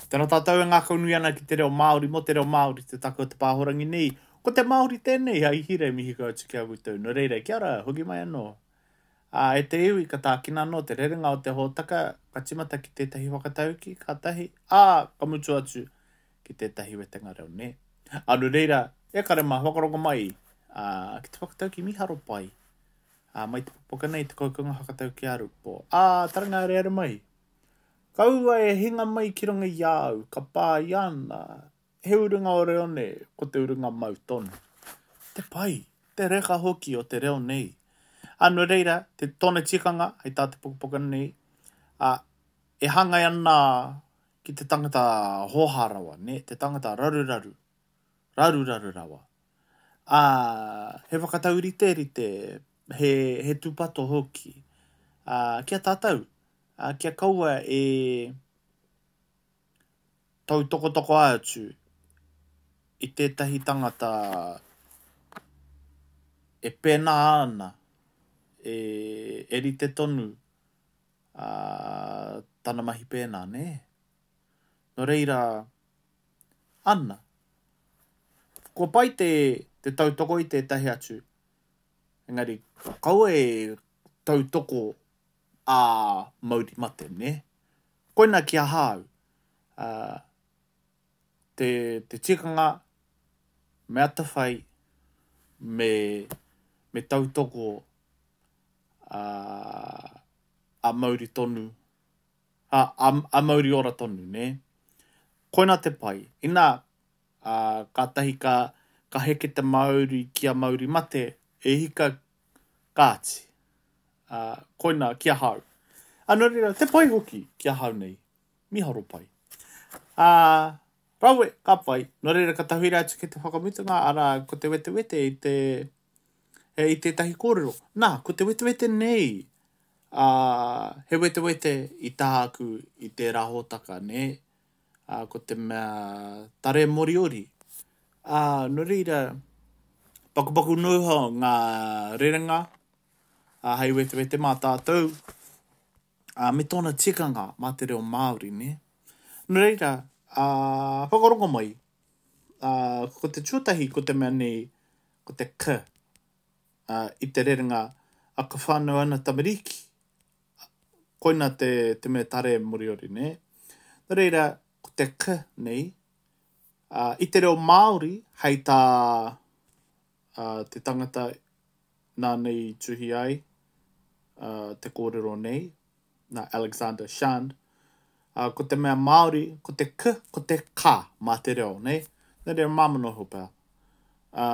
Tēnā tātou e ngākaunui ana ki te reo Māori, mō te reo Māori te take o te pāhorangi nei. Ko te Māori tēnei, a Ihire, mihi kau atu ki a koutou. Nō reira, kia ora, hoki mai anō. Ā, e te iwi, ka tākina anō te rerenga o te hōtaka, ka tīmata ki tētahi whakataukī, kātahi, ā, ka mutu atu ki tētahi wetenga reo, nē. Ā, nō reira, e kare mā, whakarongo mai, ā, ki te whakataukī mīharo pai. Ā, mai te pukapuka nei, te kounga whakataukī a Rupo. Ā, taranga areare mai. Kaua e hinga mai ki runga i a au, ka pā i ana, he urunga o reo nei, ko te urunga mau tonu. Te pai, te reka hoki o te reo nei. Ā, nō reira, te tōna tikanga, hei tā te pukapuka nei, ā, e hāngai ana ki te tangata hōhā rawa, nē, te tangata raruraru, raruraru rawa. Ā, he whakatauriterite, he, he tūpato hoki, ā, ki a tātou, ā, kia kaua e tautokotoko atu i tētahi tangata e pēnā ana, e, e rite tonu ā, tana mahi pēnā, nē? Nō reira, ana, kua pai te, te tautoko i tētahi atu, engari kaua e tautoko ā mauri mate, nē? Koina ki ahau, ā, te, te tikanga me atawhai, me, me tautoko, ā, ā mauri tonu, ā, ā, ā mauri ora tonu, nē? Koina te pai. Inā, ā, kātahi ka, ka heke te mauri ki a mauri mate, e hika, kāti. Ā, koina ki ahau. Ā, nō reira, te pai hoki ki ahau nei. Miharo pai. Ā, rawe, ka pai. Nō reira, ka tahuri atu ki te whakamutunga, arā, ko te wetewete i te, e, i tētahi kōrero. Nā, ko te wetewete nei, ā, he wetewete i tāku i tērā hōtaka, nē? Ā, ko te mea tare Moriori. Ā, nō reira, pakupaku noa iho ngā rerenga, ā, hei wetewete mā tātou, ā, me tōna tikanga mā te reo Māori, nē? Nō reira, ā, whakarongo mai, ā, ko te tuatahi ko te mea nei, ko te k, ā, i te rerenga, ā, ka whānau ana tamariki, Koina te, te mea tare Moriori, nē? Nō reira, ko te k nei, ā, i te reo Māori, hei tā ā, te tangata nāna i tuhi ai ā, te kōrero nei, nā Alexander Shand, ā, ko te mea Māori, ko te k, ko te ka mā te reo, nē? Nō reira, māmā noa iho pea. Ā,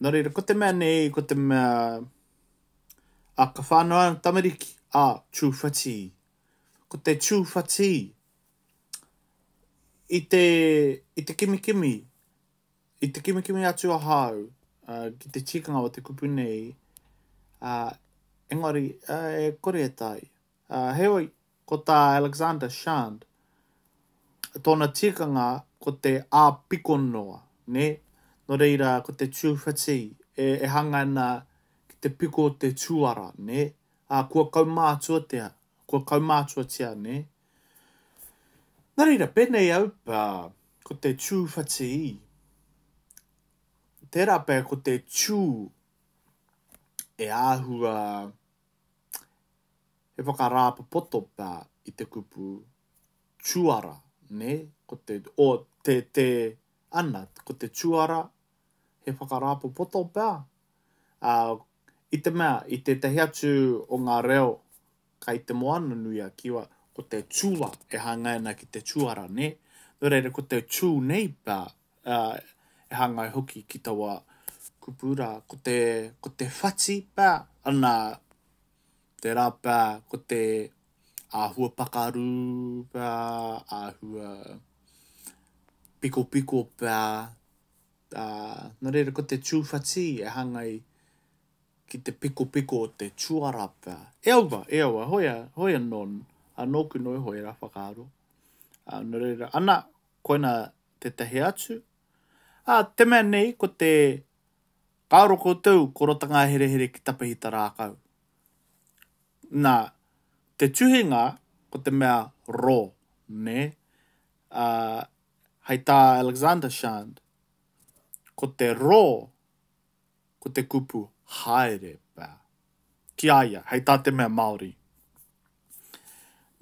nō reira, ko te mea nei, ko te mea, A ka whānau ana tamariki, a tūwhatī. Ko te tūwhatī, i te, i te kimikimi, i te kimikimi atu ahau uh, ki te tikanga o te kupu nei, uh, engari, uh, e kore e taea. Uh, heoi, ko tā Alexander Shand, tōna tikanga ko te ā-piko noa, nē? Nō reira, ko te tūwhati e, e hanga ana ki te piko o te tuara, nē? Ā, kua kaumātuatia, kua kaumātuatia, nē? Nā reira, pēnei au pea, ko te tūwhati, tērā pea ko te tū e āhua He whakarāpopoto pea i te kupu tuara, nē? Ko te, o, te, te, ana, ko te tuara, he whakarāpopoto pea? Ā, i te mea, i tētahi atu o ngā reo kai te Moana nui a Kiwa, ko te tua e hāngai ana ki te tuara, nē? Nō reira, ko te tū nei pea, ā, e hāngai hoki ki taua kupu rā. Ko te, ko te whati pea, ana, tērā pea ko te āhua pakaru pea, āhua pikopiko pea, ā, nō reira ko te tūwhati e hāngai ki te pikopiko o te tuara pea. E aua, e aua, hoi, a, hoi anō, ā, nōku noa iho ērā whakaaro. Ā, nō reira, ana, koina tētahi atu. Ā, te mea nei, ko te, kāore koutou ko Rotangaherehere ki Tapahita rākau. Nā, te tuhinga, ko te mea ro, nē? Ā, hei tā Alexander Shand, ko te rō, ko te kupu haere pea. Ki a ia, hei tā te mea Māori.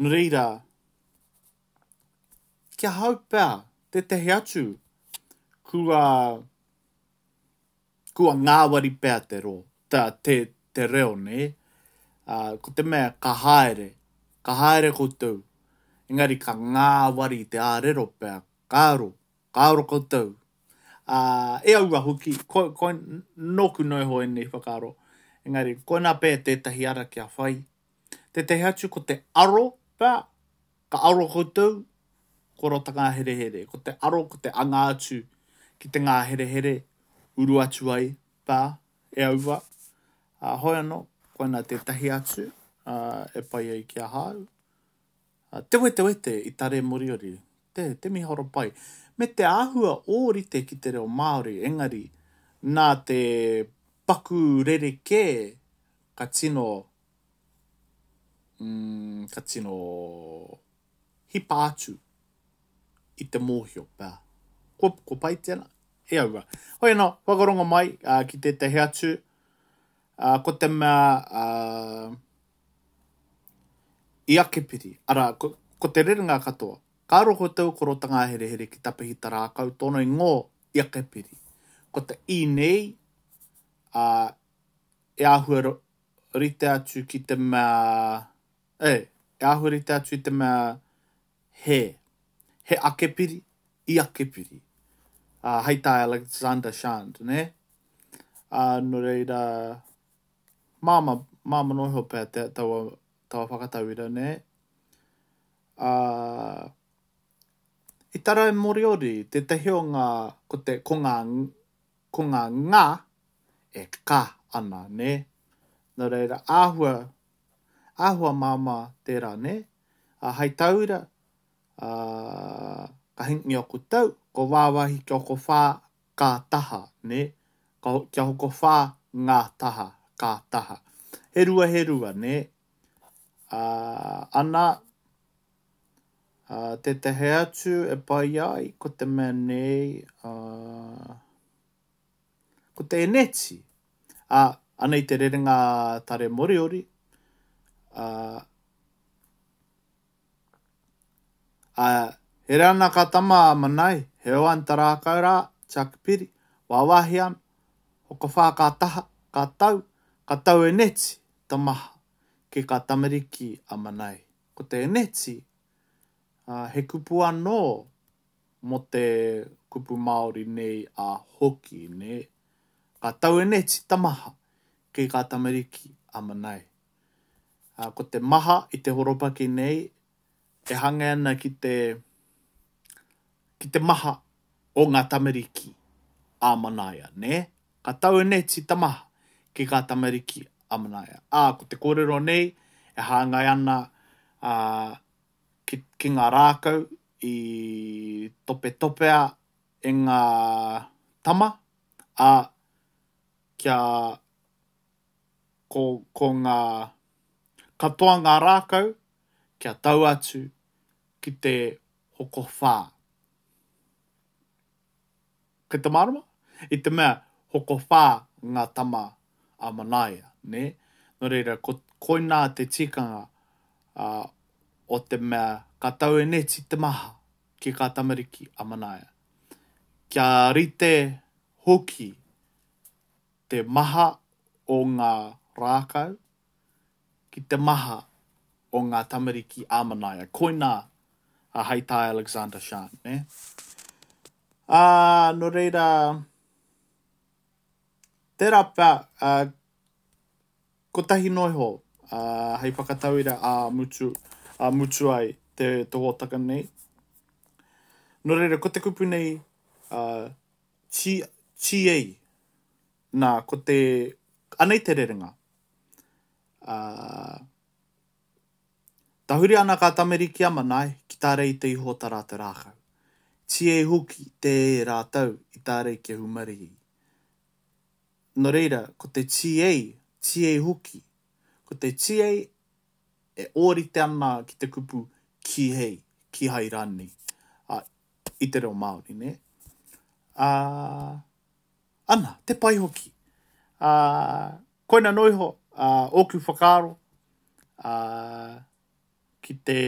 Nō reira, ki ahau pea, tētehi atu, kua, kua ngāwari pea te rō, te, te, te reo, nē? Ā, ko te mea ka haere, ka haere koutou, engari ka ngāwari te ārero pea, ka aro, ka aro koutou. Ā, e aua hoki, ko, ko, nōku noa iho ēnei whakaaro, engari koinā pea tētahi ara kia whai. Tētahi atu ko te aro pea, ka aro koutou, ko rota ngāherehere. Ko te aro, ko te anga atu ki te ngāherehere, uru atu ai pea e aua. Ā, hoi anō, koinā tētahi atu ā, e pai ai ki ahau. Ā, te wetewete i tare Moriori, te, te miharo pai. Me te āhua ōrite ki te reo Māori, engari, nā te paku rerekē ka tino mm, ka tino hipa atu i te mōhio pea. Kua, kua pai tēnā? E aua. Hoi anō, whakarongo mai uh, ki tētahi atu, uh, ko te mea uh, i akepiri, arā, ko, ko te rerenga katoa, ka aro koutou ko rota ngāherehere ki tapehi tarākau tōna ingoa i akepiri. Ko te i nei, uh, e āhua rite atu ki te mea, e, e āhua rite atu i te mea he, he akepiri, i akepiri. Ā, hei tā Alexander Shand, nē? Ā, nō reira, māmā, māmā noa iho pea te, taua, taua whakatauira, nē? Ā, i tarai Moriori, tētahi o ngā, ko te, ko ngā, ko ngā ngā e ka ana, nē? Nō reira, āhua, āhua māmā tērā, nē? Ā, hei tauira, ā, ka hingi aku tau, ko wāwāhi kia hokowhā kā taha, nē? Ka, kia hokowhā ngā taha, kā taha. He rua, he rua, nē? Ā, ana, ā, tētahi atu e pai ai, ko te mea nei, ā, Ko te eneti, ā, anei te rerenga tare Moriori, ā, ā, here ana ka tama a Manai, he oan ta rākau rā, Tiakipiri, wāwāhi ana, hokowhā ka taha, ka tau, ka tau eneti, ta maha, ki ka tamariki a Manai. Ko te eneti, ā, he kupu anō mō te kupu Māori nei a hoki, nē? Ka taueneti ta maha ki kā tamariki a Manai. Ā, ko te maha i te horopaki nei e hangai ana ki te, ki te maha o ngā tamariki a Manaia, nē? Ka taueneti ta maha ki kā tamariki a Manaia. Ā, ko te kōrero nei e hāngai ana, ā, ki, ki ngā rākau i topetopea e ngā tama, ā, kia ko, ko ngā, katoa ngā rākau kia tau atu ki te hokowhā. Kei te mārama? I te mea, hokowhā ngā tama a Manaia, nē? Nō reira, ko, koinā te tikanga, ā, o te mea ka taueneti te maha ki kā tamariki a Manaia. Kia rite hoki te maha o ngā rākau ki te maha o ngā tamariki a Manaia. Koinā a hei tā Alexander Shand, nē? Ā, nō reira, tērā pea, ā, kotahi noa iho, ā, hei whakatauira ā mutu, ā mutu ai te, te hōtaka nei. Nō reira, ko te kupu nei, ā, ti, tiei, nā, ko te, anei te rerenga. Ā, Tahuri ana kā tamariki a Manae ki tārei te iho o tā rātou rākau. Tiei hoki te e rātou i tārei kia hūmarihi. Nō reira, ko te tiei, tiei hoki. Ko te tiei e ōrite ana ki te kupu kīhei, kīhai rānei. Ā, i te reo Māori, nē? Ā, ana, te pai hoki. Ā, koina noa iho, ā, ōku whakaaro, ā, ki te,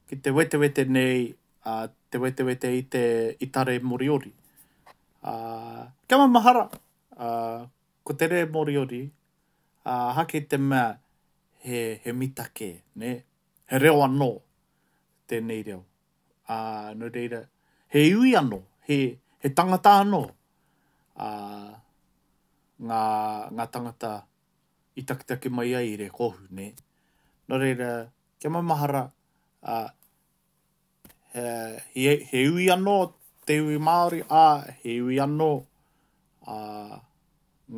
ki te wetewete nei, ā, te wetewete i te, i tare Moriori. Ā, kia maumahara, ā, ko te re Moriori, ā, hake te mea he, he mita kē, nē? He reo anō tēnei reo. Ā, nō reira, he iwi anō, he, he tangata anō, ā, ngā, ngā tangata i taketake mai ai i Rēkohu, nē. Nō reira, kia maumahara, ā, he, he, he iwi anō te iwi Māori, ā, he iwi anō, ā,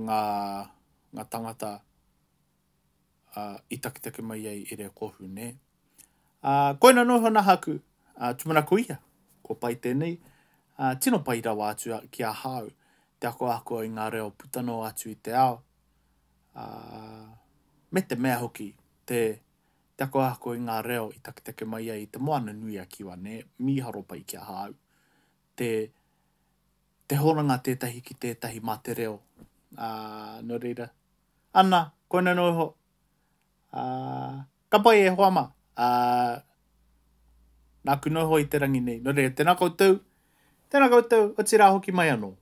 ngā, ngā tangata ā, i taketake mai ai i Rēkohu, nē. Ā, koina noa iho nahaku, ā, tūmanako ia, kua pai tēnei, ā, tino pai rawa atu ki ahau te akoako i ngā reo puta noa atu i te ao, ā, me te mea hoki, te, te akoako i ngā reo i taketake mai ai i Te Moana-nui-a-Kiwa, nē, mīharo pai ki ahau, te, te hononga tētahi ki tētahi mā te reo, ā, nō reira, ana, koina noa iho, ā, ka pai e hoa mā, ā, nāku noa iho i te rangi nei, nō reira, tēnā koutou, tēnā koutou, otirā hoki mai anō.